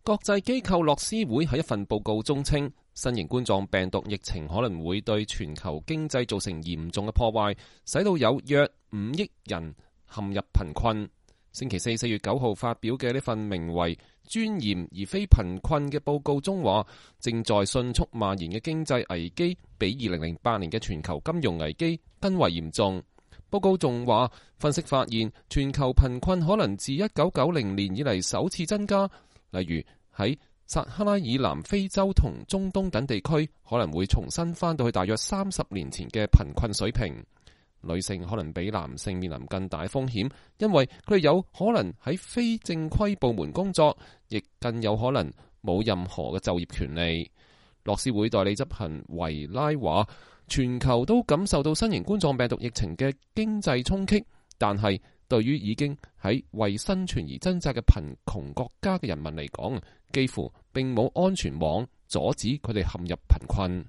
國際機構樂施會喺一份報告中稱，新型冠狀病毒疫情可能會對全球經濟造成嚴重嘅破壞，使到有約5億人陷入貧困。星期四4月9號發表嘅呢份名為《尊嚴而非貧困》嘅報告中話，正在迅速蔓延嘅經濟危機比2008年嘅全球金融危機更為嚴重。報告仲話，分析發現全球貧困可能自1990年以嚟首次增加，例如喺撒哈拉以南非洲同中東等地區可能會重新返到去大約30年前嘅貧困水平。女性可能比男性面臨更大風險，因為佢哋有可能喺非正規部門工作，亦更有可能冇任何嘅就業權利。樂施會代理執行維拉話，全球都感受到新型冠狀病毒疫情嘅經濟衝擊，但係對於已經喺為生存而掙扎嘅貧窮國家嘅人民嚟講，幾乎並冇安全網阻止佢哋陷入貧困。